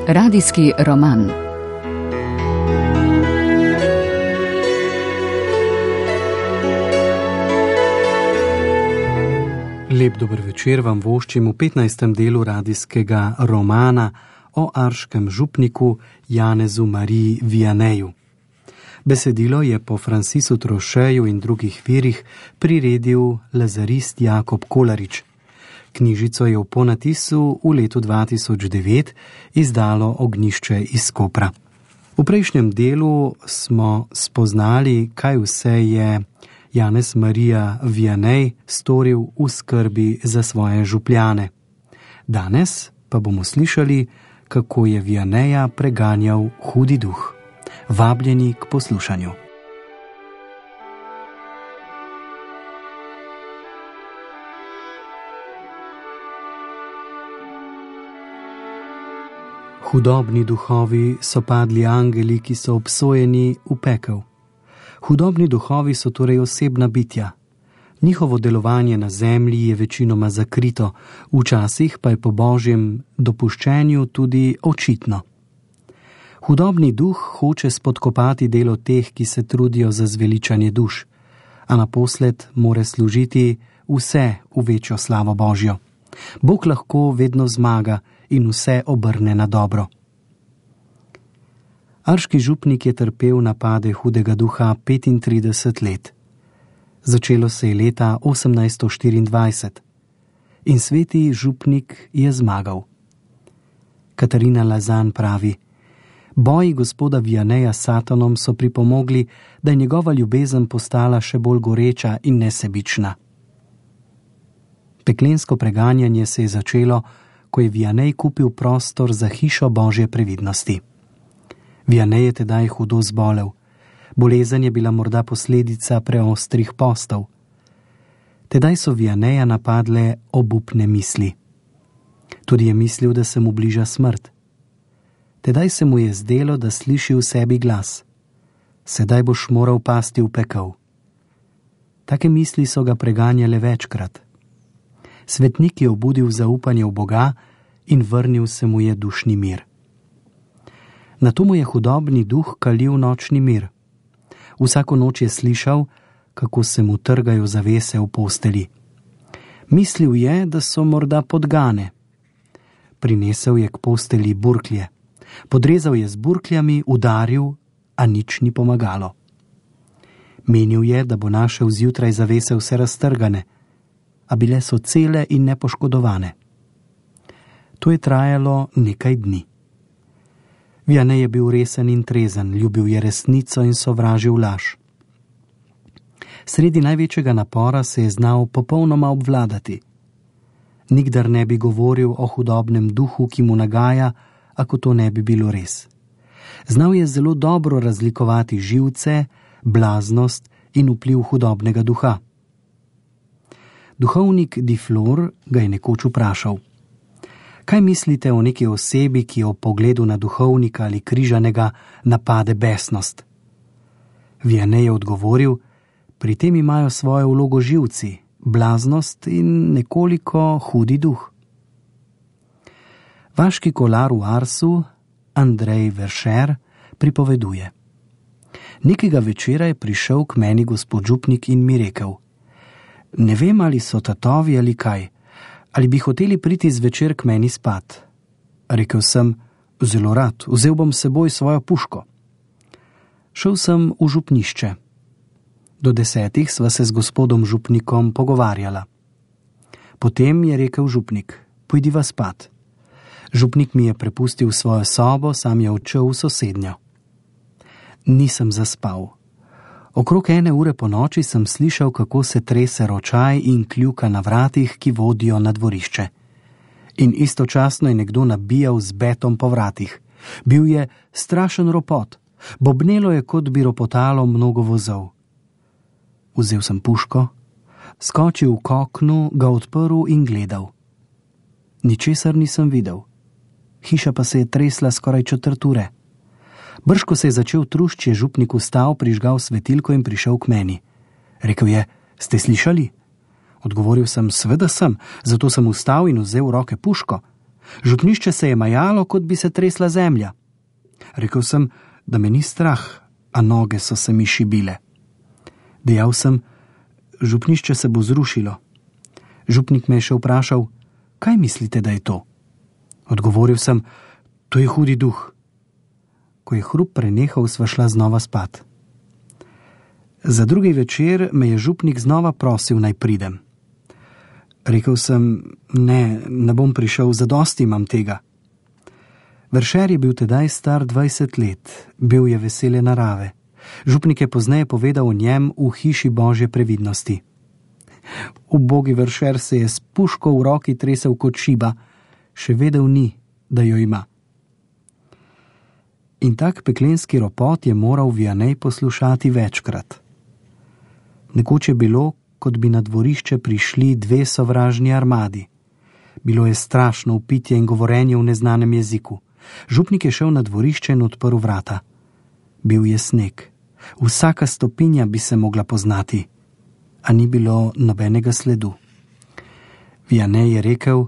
Radijski roman. Lep dober večer vam voščim v 15. delu radijskega romana o arškem župniku Janezu Mariji Vianeju. Besedilo je po Francisu Trocheju in drugih virih priredil lazarist Jakob Kolarič. Knjižico je v ponatisu v letu 2009 izdalo Ognjišče iz Kopra. V prejšnjem delu smo spoznali, kaj vse je Janez Marija Vianej storil v skrbi za svoje župljane. Danes pa bomo slišali, kako je Vianeja preganjal hudi duh. Vabljeni k poslušanju. Hudobni duhovi so padli angeli, ki so obsojeni v pekel. Hudobni duhovi so torej osebna bitja. Njihovo delovanje na zemlji je večinoma zakrito, včasih pa je po božjem dopuščenju tudi očitno. Hudobni duh hoče spodkopati delo teh, ki se trudijo za zveličanje duš, a naposled more služiti vse v večjo slavo Božjo. Bog lahko vedno zmaga in vse obrne na dobro. Arški župnik je trpel napade hudega duha 35 let. Začelo se je leta 1824 in sveti župnik je zmagal. Katarina Lazan pravi: boji gospoda Vianeja s Satanom so pripomogli, da je njegova ljubezen postala še bolj goreča in nesebična. Peklensko preganjanje se je začelo, ko je Vianej kupil prostor za hišo Božje previdnosti. Vianej je tedaj hudo zbolel. Bolezen je bila morda posledica preostrih postov. Tedaj so Vianeja napadle obupne misli. Tudi je mislil, da se mu bliža smrt. Tedaj se mu je zdelo, da sliši v sebi glas: sedaj boš moral pasti v pekel. Take misli so ga preganjale večkrat. Svetnik je obudil zaupanje v Boga in vrnil se mu je dušni mir. Nato mu je hudobni duh kalil nočni mir. Vsako noč je slišal, kako se mu trgajo zavese v posteli. Mislil je, da so morda podgane. Prinesel je k posteli burklje. Podrezal je z burkljami, udaril, a nič ni pomagalo. Menil je, da bo našel zjutraj zavese vse raztrgane, a bile so cele in nepoškodovane. To je trajalo nekaj dni. Vianej je bil resen in trezen, ljubil je resnico in sovražil laž. Sredi največjega napora se je znal popolnoma obvladati. Nikdar ne bi govoril o hudobnem duhu, ki mu nagaja, ako to ne bi bilo res. Znal je zelo dobro razlikovati živce, blaznost in vpliv hudobnega duha. Duhovnik Diflor ga je nekoč vprašal: kaj mislite o neki osebi, ki ob pogledu na duhovnika ali križanega napade besnost? Vianej je odgovoril: pri tem imajo svojo vlogo živci, blaznost in nekoliko hudi duh. Vaški kolar v Arsu, Andrej Veršer, pripoveduje: nekega večera je prišel k meni gospod župnik in mi rekel: ne vem, ali so tatovi ali kaj, ali bi hoteli priti zvečer k meni spat. Rekel sem: zelo rad, vzel bom s seboj svojo puško. Šel sem v župnišče. Do 10 sva se z gospodom župnikom pogovarjala. Potem je rekel župnik: pojdiva spat. Župnik mi je prepustil svojo sobo, sam je odšel v sosednjo. Nisem zaspal. Okrog 1 ure po noči sem slišal, kako se trese ročaj in kljuka na vratih, ki vodijo na dvorišče. In istočasno je nekdo nabijal z betom po vratih. Bil je strašen ropot. Bobnelo je, kot bi ropotalo mnogo vozov. Vzel sem puško, skočil k oknu, ga odprl in gledal. Ničesar nisem videl. Hiša pa se je tresla skoraj 1/4 ure. Brž ko se je začel trušč, je župnik vstal, prižgal svetilko in prišel k meni. Rekel je: ste slišali? Odgovoril sem: seveda sem, zato sem vstal in vzel v roke puško. Župnišče se je majalo, kot bi se tresla zemlja. Rekel sem, da me ni strah, a noge so se mi šibile. Dejal sem, župnišče se bo zrušilo. Župnik me je še vprašal, kaj mislite, da je to? Odgovoril sem, to je hudi duh. Ko je hrup prenehal, sva šla znova spat. Za drugi večer me je župnik znova prosil, naj pridem. Rekel sem, ne bom prišel, zadosti imam tega. Veršer je bil tedaj star 20 let, bil je vesele narave. Župnik je pozneje povedal o njem v hiši Božje previdnosti. Ubogi Veršer se je s puško v roki tresel kot šiba, še vedel ni, da jo ima. In tak peklenski ropot je moral Vianej poslušati večkrat. Nekoč je bilo, kot bi na dvorišče prišli dve sovražni armadi. Bilo je strašno vpitje in govorenje v neznanem jeziku. Župnik je šel na dvorišče in odprl vrata. Bil je sneg. Vsaka stopinja bi se mogla poznati, a ni bilo nobenega sledu. Vianej je rekel,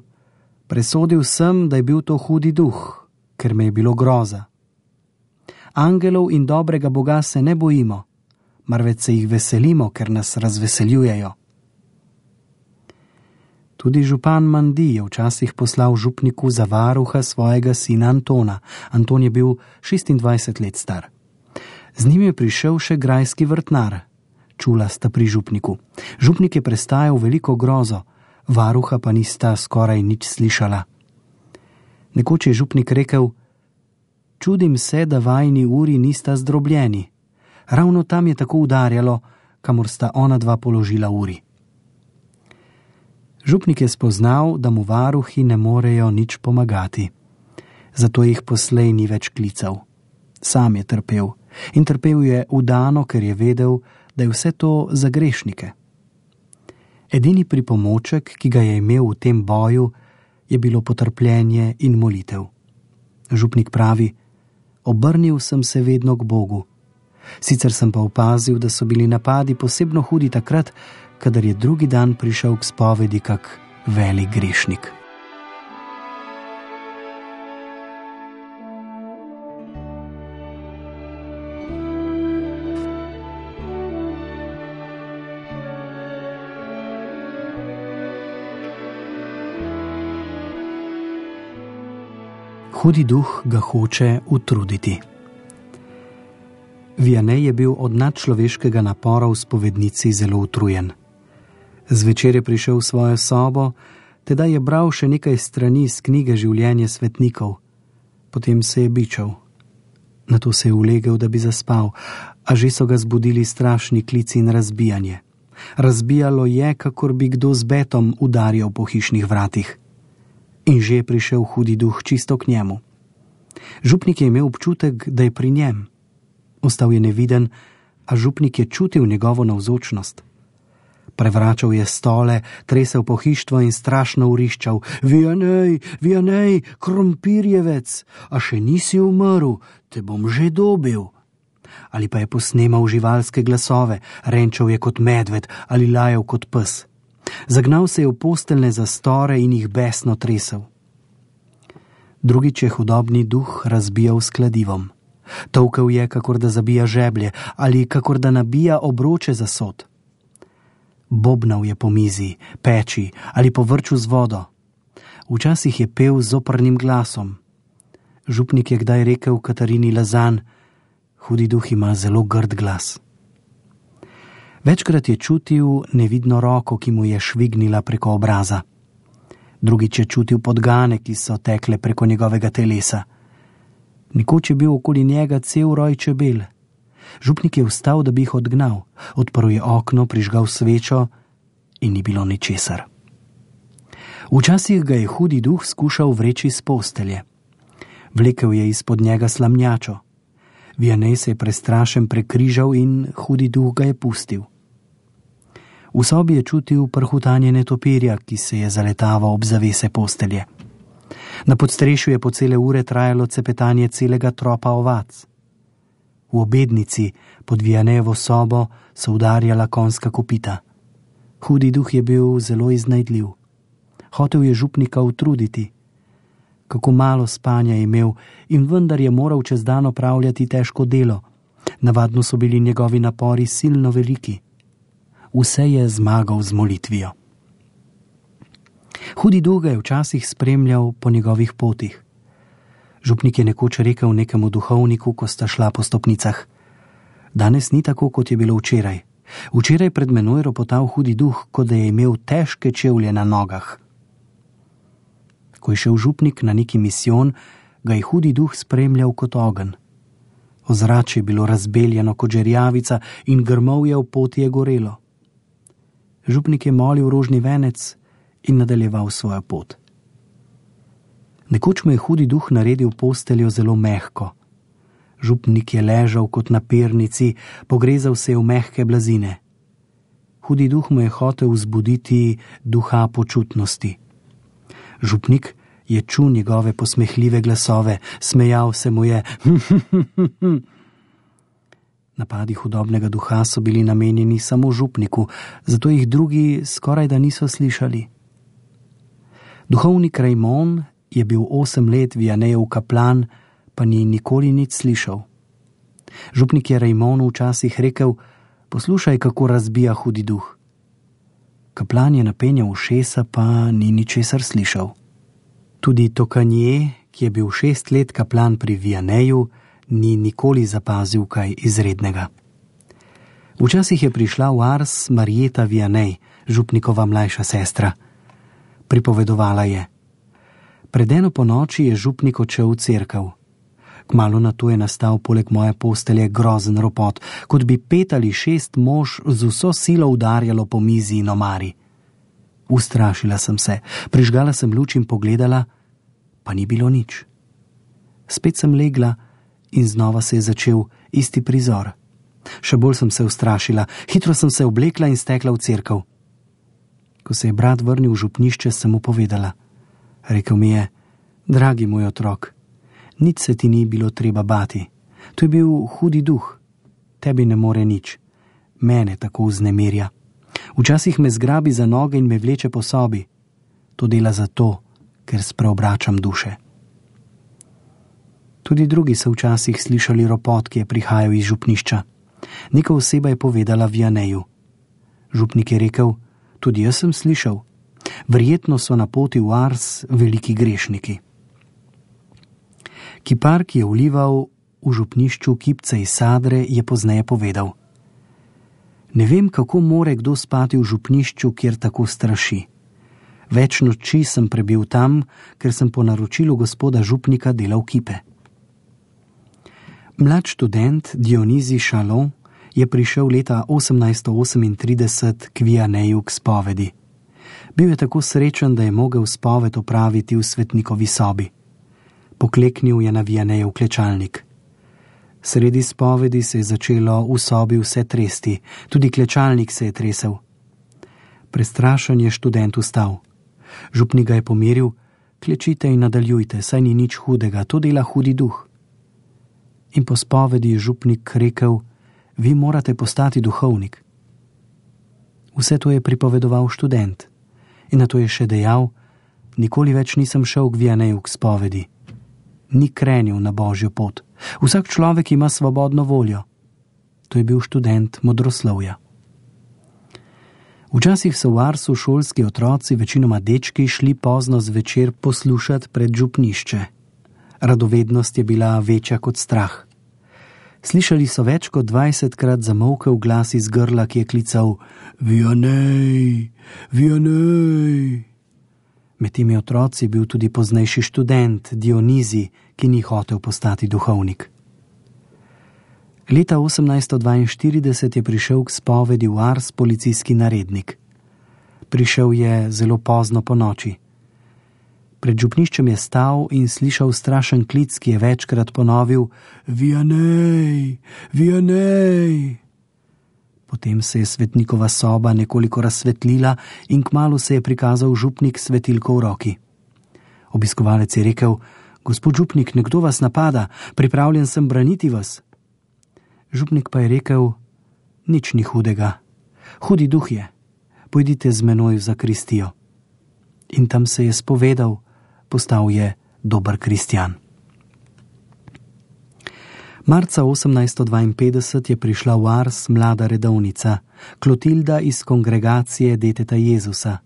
presodil sem, da je bil to hudi duh, ker me je bilo groza. Angelov in dobrega Boga se ne bojimo, marveč se jih veselimo, ker nas razveseljujejo. Tudi župan Mandi je včasih poslal župniku za varuha svojega sina Antona. Anton je bil 26 let star. Z njim je prišel še grajski vrtnar. Čula sta pri župniku. Župnik je prestajal veliko grozo, varuha pa nista skoraj nič slišala. Nekoč je župnik rekel, čudim se, da vajini uri nista zdrobljeni. Ravno tam je tako udarjalo, kamor sta ona dva položila uri. Župnik je spoznal, da mu varuhi ne morejo nič pomagati. Zato jih poslej ni več klical. Sam je trpel. In trpel je vdano, ker je vedel, da je vse to za grešnike. Edini pripomoček, ki ga je imel v tem boju, je bilo potrpljenje in molitev. Župnik pravi, obrnil sem se vedno k Bogu. Sicer sem pa opazil, da so bili napadi posebno hudi takrat, kadar je drugi dan prišel k spovedi kak velik grešnik. Hudi duh ga hoče utruditi. Vianej je bil od nadčloveškega napora v spovednici zelo utrujen. Zvečer je prišel v svojo sobo, tedaj je bral še nekaj strani iz knjige Življenje svetnikov. Potem se je bičal. Nato se je ulegel, da bi zaspal, a že so ga zbudili strašni klici in razbijanje. Razbijalo je, kakor bi kdo z betom udarjal po hišnih vratih. In že je prišel hudi duh čisto k njemu. Župnik je imel občutek, da je pri njem. Ostal je neviden, a župnik je čutil njegovo navzočnost. Prevračal je stole, tresel pohištvo in strašno vriščal. Vianej, Vianej, krompirjevec, a še nisi umrl, te bom že dobil. Ali pa je posnemal živalske glasove, renčal je kot medved ali lajal kot pes. Zagnal se je v posteljne zastore in jih besno tresel. Drugič je hudobni duh razbijal s kladivom. Tolkel je, kakor da zabija žeblje ali kakor da nabija obroče za sod. Bobnal je po mizi, peči ali po vrču z vodo. Včasih je pel z oprnim glasom. Župnik je kdaj rekel Katarini Lazan, hudi duh ima zelo grd glas. Večkrat je čutil nevidno roko, ki mu je švignila preko obraza. Drugič je čutil podgane, ki so tekle preko njegovega telesa. Nekoč je bil okoli njega cel roj čebel. Župnik je vstal, da bi jih odgnal. Odprl je okno, prižgal svečo in ni bilo ničesar. Včasih ga je hudi duh skušal vreči z postelje. Vlekel je izpod njega slamnjačo. Vianej se je prestrašen prekrižal in hudi duh ga je pustil. V sobi je čutil prhutanje netopirja, ki se je zaletaval ob zavese postelje. Na podstrešju je po cele ure trajalo cepetanje celega tropa ovac. V obednici pod Vianejevo sobo so udarjala konjska kopita. Hudi duh je bil zelo iznajdljiv. Hotel je župnika utruditi. kako malo spanja je imel in vendar je moral čez dan opravljati težko delo. Navadno so bili njegovi napori silno veliki. Vse je zmagal z molitvijo. Hudi duh ga je včasih spremljal po njegovih potih. Župnik je nekoč rekel nekemu duhovniku, ko sta šla po stopnicah: danes ni tako, kot je bilo včeraj. Včeraj pred menoj ropotal hudi duh, kot da je imel težke čevlje na nogah. Ko je šel župnik na neki misijon, ga je hudi duh spremljal kot ogenj. Ozračje je bilo razbeljeno kot žerjavica in grmovje v poti je gorelo. Župnik je molil rožni venec in nadaljeval svojo pot. Nekoč mu je hudi duh naredil posteljo zelo mehko. Župnik je ležal kot na pernici, pogrezal se je v mehke blazine. Hudi duh mu je hotel vzbuditi duha počutnosti. Župnik je čul njegove posmehljive glasove, smejal se mu je. Napadi hudobnega duha so bili namenjeni samo župniku, zato jih drugi skoraj da niso slišali. Duhovnik Rajmon je bil 8 let Vianejev kaplan, pa ni nikoli nič slišal. Župnik je Rajmonu včasih rekel: poslušaj, kako razbija hudi duh. Kaplan je napenjal ušesa, pa ni ničesar slišal. Tudi Tokanje, ki je bil 6 let kaplan pri Vianeju, ni nikoli zapazil kaj izrednega. Včasih je prišla v Ars Marjeta Vianej, župnikova mlajša sestra. Pripovedovala je: pred eno ponoči je župnik odšel v cerkev. Kmalu nato je nastal poleg moje postelje grozen ropot, kot bi 5 ali 6 mož z vso silo udarjalo po mizi in omari. Ustrašila sem se, prižgala sem luč in pogledala, pa ni bilo nič. Spet sem legla in znova se je začel isti prizor. Še bolj sem se ustrašila, hitro sem se oblekla in stekla v cerkev. Ko se je brat vrnil v župnišče, sem mu povedala. Rekel mi je: dragi moj otrok, nič se ti ni bilo treba bati. To je bil hudi duh. Tebi ne more nič. Mene tako vznemirja. Včasih me zgrabi za noge in me vleče po sobi. To dela zato, ker spreobračam duše. Tudi drugi so včasih slišali ropot, ki je prihajal iz župnišča. Neka oseba je povedala Vianeju. Župnik je rekel: tudi jaz sem slišal. Verjetno so na poti v Ars veliki grešniki. Kipar, ki je vlival v župnišču kipce iz sadre, je pozneje povedal: ne vem, kako more kdo spati v župnišču, kjer tako straši. Več noči sem prebil tam, ker sem po naročilu gospoda župnika delal kipe. Mlad študent Dionizij Šalon je prišel leta 1838 k Vianeju k spovedi. Bil je tako srečen, da je mogel spoved opraviti v svetnikovi sobi. Pokleknil je na Vianejev klečalnik. Sredi spovedi se je začelo v sobi vse tresti, tudi klečalnik se je tresel. Prestrašen je študent vstal. Župnik ga je pomiril: klečite in nadaljujte, saj ni nič hudega, to dela hudi duh. In po spovedi je župnik rekel: vi morate postati duhovnik. Vse to je pripovedoval študent. In nato je še dejal: nikoli več nisem šel k Vianeju k spovedi. Ni krenil na božjo pot. Vsak človek ima svobodno voljo. To je bil študent modroslovja. Včasih so v Arsu šolski otroci, večinoma dečki, šli pozno zvečer poslušati pred župnišče. Radovednost je bila večja kot strah. Slišali so več kot 20krat zamolkel glas iz grla, ki je klical: Vianej, Vianej. Med temi otroci je bil tudi poznejši študent Dionizij, ki ni hotel postati duhovnik. Leta 1842 je prišel k spovedi v Ars policijski narednik. Prišel je zelo pozno po noči. Pred župniščem je stal in slišal strašen klic, ki je večkrat ponovil: Vianej, Vianej. Potem se je svetnikova soba nekoliko razsvetlila in kmalu se je prikazal župnik s svetilko v roki. Obiskovalec je rekel: gospod župnik, nekdo vas napada, pripravljen sem braniti vas. Župnik pa je rekel: nič ni hudega, hudi duh je, pojdite z menoj v zakristijo. In tam se je spovedal, postal je dober kristjan. Marca 1852 je prišla v Ars mlada redovnica, Klotilda iz kongregacije Deteta Jezusa.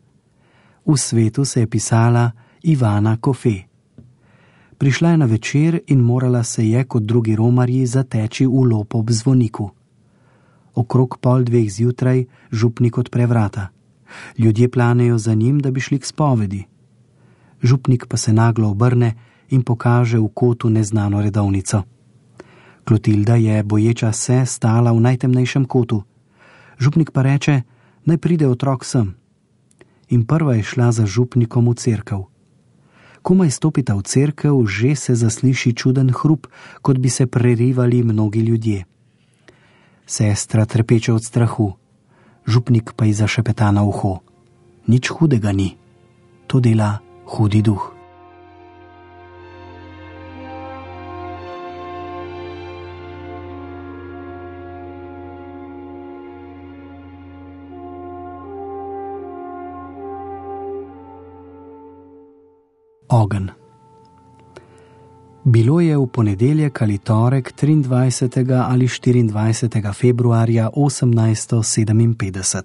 V svetu se je pisala Ivana Kofe. Prišla je na večer in morala se je kot drugi romarji zateči v lop ob zvoniku. Okrog 1:30 zjutraj župnik odpre vrata. Ljudje planejo za njim, da bi šli k spovedi. Župnik pa se naglo obrne in pokaže v kotu neznano redovnico. Klotilda je, boječa se, stala v najtemnejšem kotu. Župnik pa reče, naj pride otrok sem. In prva je šla za župnikom v cerkev. Komaj stopita v cerkev, že se zasliši čuden hrup, kot bi se prerivali mnogi ljudje. Sestra trepeče od strahu. Župnik pa ji zašepeta na uho. Nič hudega ni. To dela hudi duh. Ogenj. Bilo je v ponedeljek ali torek 23. ali 24. februarja 1857.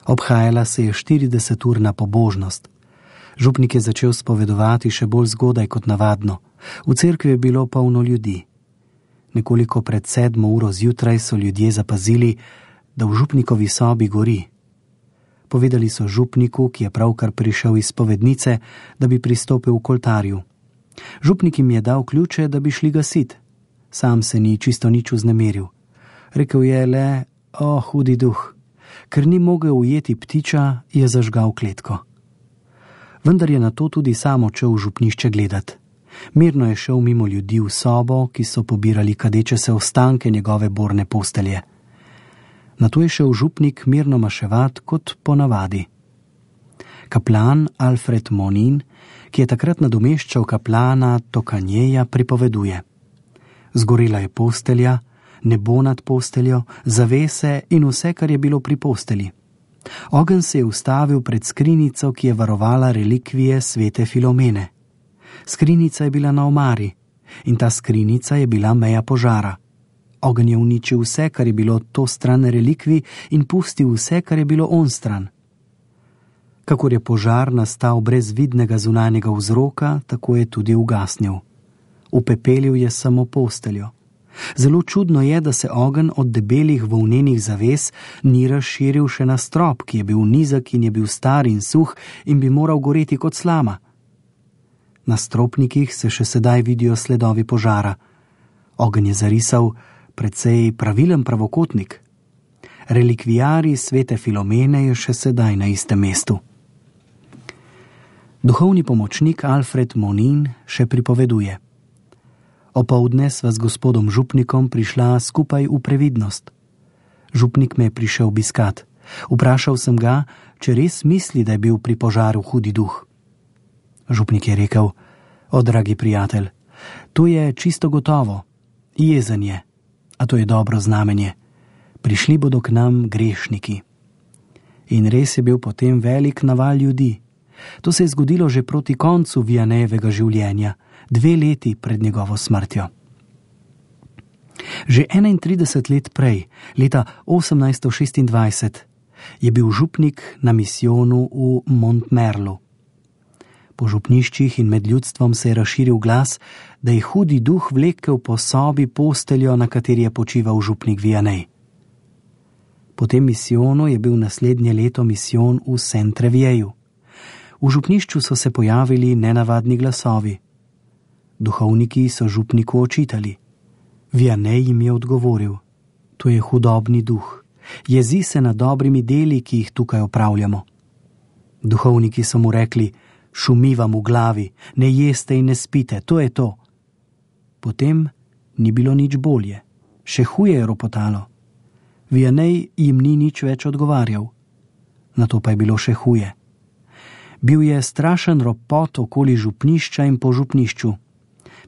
Obhajala se je 40-urna pobožnost. Župnik je začel spovedovati še bolj zgodaj kot navadno. V cerkvi je bilo polno ljudi. Nekoliko pred 7. uro zjutraj so ljudje zapazili, da v župnikovi sobi gori. Povedali so župniku, ki je pravkar prišel iz spovednice, da bi pristopil k oltarju. Župnik jim je dal ključe, da bi šli gasit. Sam se ni čisto nič vznemiril. Rekel je le, hudi duh. Ker ni mogel ujeti ptiča, je zažgal kletko. Vendar je na to tudi sam odšel v župnišče gledat. Mirno je šel mimo ljudi v sobo, ki so pobirali kadeče se ostanke njegove borne postelje. Nato je šel župnik mirno maševat kot ponavadi. Kaplan Alfred Monin, ki je takrat nadomeščal kaplana Tokanjeja, pripoveduje. Zgorela je postelja, nebo nad posteljo, zavese in vse, kar je bilo pri posteli. Ogenj se je ustavil pred skrinjico, ki je varovala relikvije svete Filomene. Skrinjica je bila na omari in ta skrinjica je bila meja požara. Ogenj je uničil vse, kar je bilo to stran relikvij in pustil vse, kar je bilo on stran. Kakor je požar nastal brez vidnega zunanjega vzroka, tako je tudi ugasnil. Upepelil je samo posteljo. Zelo čudno je, da se ogenj od debelih volnenih zaves ni razširil še na strop, ki je bil nizek in je bil star in suh in bi moral goreti kot slama. Na stropnikih se še sedaj vidijo sledovi požara. Ogenj je zarisal precej pravilen pravokotnik. Relikvijari svete Filomene je še sedaj na istem mestu. Duhovni pomočnik Alfred Monin še pripoveduje. Opoldne sva z gospodom župnikom prišla skupaj v previdnost. Župnik me je prišel obiskat. Vprašal sem ga, če res misli, da je bil pri požaru hudi duh. Župnik je rekel, dragi prijatelj, to je čisto gotovo, jezen je, a to je dobro znamenje. Prišli bodo k nam grešniki. In res je bil potem velik naval ljudi. To se je zgodilo že proti koncu Vianejevega življenja, 2 leti pred njegovo smrtjo. Že 31 let prej, leta 1826, je bil župnik na misijonu v Montmerlu. Po župniščih in med ljudstvom se je razširil glas, da je hudi duh vlekel po sobi posteljo, na kateri je počival župnik Vianej. Po tem misijonu je bil naslednje leto misijon v Saint-Revieju. V župnišču so se pojavili nenavadni glasovi. Duhovniki so župniku očitali. Vianej jim je odgovoril, to je hudobni duh, jezi se nad dobrimi deli, ki jih tukaj opravljamo. Duhovniki so mu rekli, šumi vam v glavi, ne jeste in ne spite, to je to. Potem ni bilo nič bolje, še huje je ropotalo. Vianej jim ni nič več odgovarjal. Nato pa je bilo še huje. Bil je strašen ropot okoli župnišča in po župnišču.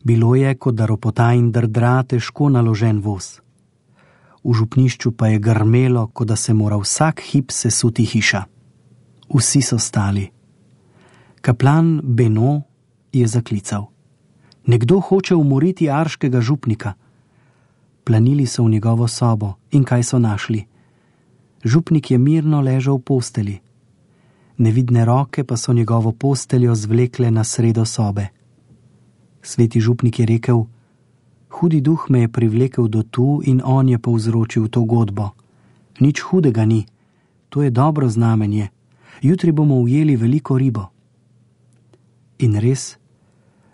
Bilo je, kot da ropota in drdra težko naložen voz. V župnišču pa je grmelo, kot da se mora vsak hip sesuti hiša. Vsi so stali. Kaplan Beno je zaklical: Nekdo hoče umoriti arškega župnika. Planili so v njegovo sobo in kaj so našli? Župnik je mirno ležal v posteli. Nevidne roke pa so njegovo posteljo zvlekle na sredo sobe. Sveti župnik je rekel: Hudi duh me je privlekel do tu in on je povzročil to godbo. Nič hudega ni, to je dobro znamenje. Jutri bomo ujeli veliko ribo. In res,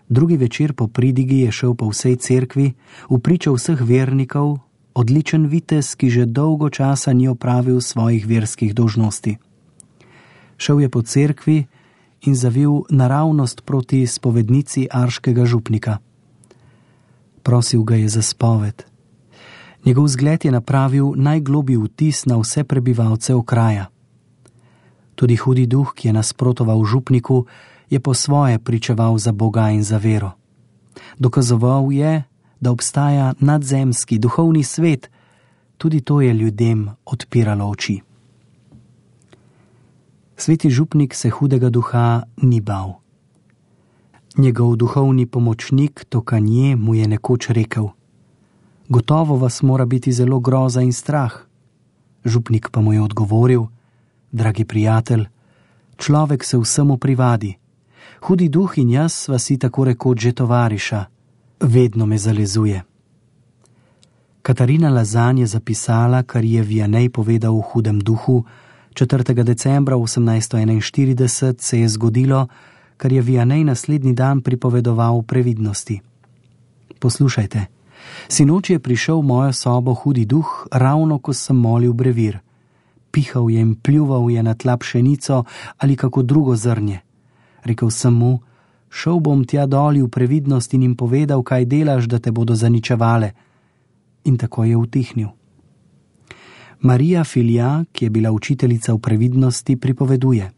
drugi večer po pridigi je šel po vsej cerkvi, vpričal vseh vernikov, odličen vitez, ki že dolgo časa ni opravil svojih verskih dolžnosti. Šel je po cerkvi in zavil naravnost proti spovednici arškega župnika. Prosil ga je za spoved. Njegov zgled je napravil najglobji vtis na vse prebivalce okraja. Tudi hudi duh, ki je nasprotoval župniku, je po svoje pričeval za Boga in za vero. Dokazoval je, da obstaja nadzemski, duhovni svet, tudi to je ljudem odpiralo oči. Sveti župnik se hudega duha ni bal. Njegov duhovni pomočnik Tokanje mu je nekoč rekel: Gotovo vas mora biti zelo groza in strah. Župnik pa mu je odgovoril: Dragi prijatelj, človek se vsemu privadi. Hudi duh in jaz sva si tako rekoč že tovariša. Vedno me zalezuje. Katarina Lazan je zapisala, kar je Vianney povedal v hudem duhu. 4. decembra 1841 se je zgodilo, kar je Vianney naslednji dan pripovedoval v previdnosti. Poslušajte, sinoč je prišel v mojo sobo hudi duh, ravno ko sem molil brevir. Pihal je in pljuval je na tla pšenico ali kako drugo zrnje. Rekel sem mu: Šel bom tja doli v previdnost in jim povedal, kaj delaš, da te bodo zaničevale. In tako je utihnil. Marija Filja, ki je bila učiteljica v previdnosti, pripoveduje: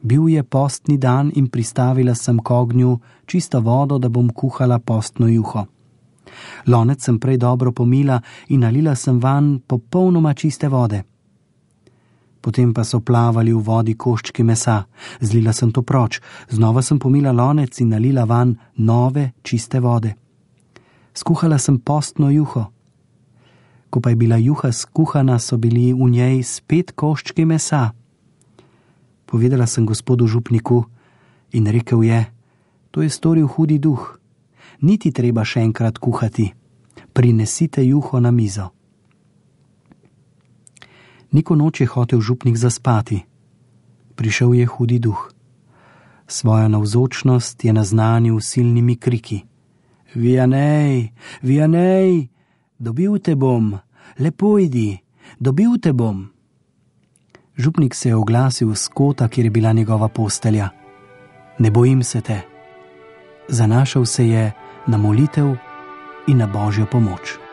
Bil je postni dan in pristavila sem k ognju čisto vodo, da bom kuhala postno juho. Lonec sem prej dobro pomila in nalila sem vanj popolnoma čiste vode. Potem pa so plavali v vodi koščki mesa. Zlila sem to proč, znova sem pomila lonec in nalila vanj nove, čiste vode. Skuhala sem postno juho. Ko pa je bila juha skuhana, so bili v njej spet koščki mesa. Povedala sem gospodu župniku in rekel je: To je storil hudi duh. Niti treba še enkrat kuhati. Prinesite juho na mizo. Neko noč je hotel župnik zaspati. Prišel je hudi duh. Svojo navzočnost je naznanil silnimi kriki: Vianney, Vianney, dobil te bom, lepo idi, dobil te bom. Župnik se je oglasil z kota, kjer je bila njegova postelja. Ne bojim se te. Zanašal se je na molitev in na Božjo pomoč.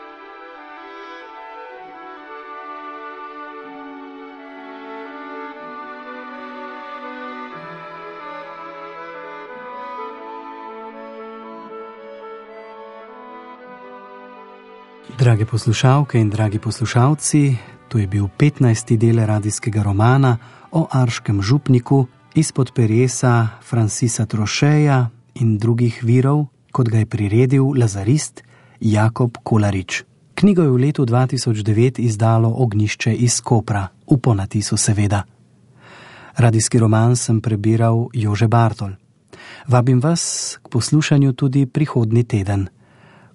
Drage poslušalke in dragi poslušalci, to je bil 15. del radijskega romana o arškem župniku izpod peresa Francisa Trocheja in drugih virov, kot ga je priredil lazarist Jakob Kolarič. Knjigo je v letu 2009 izdalo Ognjišče iz Kopra, v ponatisu seveda. Radijski roman sem prebiral Jože Bartol. Vabim vas k poslušanju tudi prihodnji teden,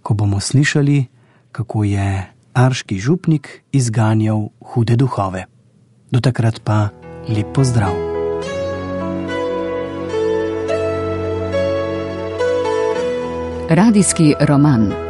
ko bomo slišali, kako je arški župnik izganjal hude duhove. Do takrat pa lep pozdrav. Radijski roman.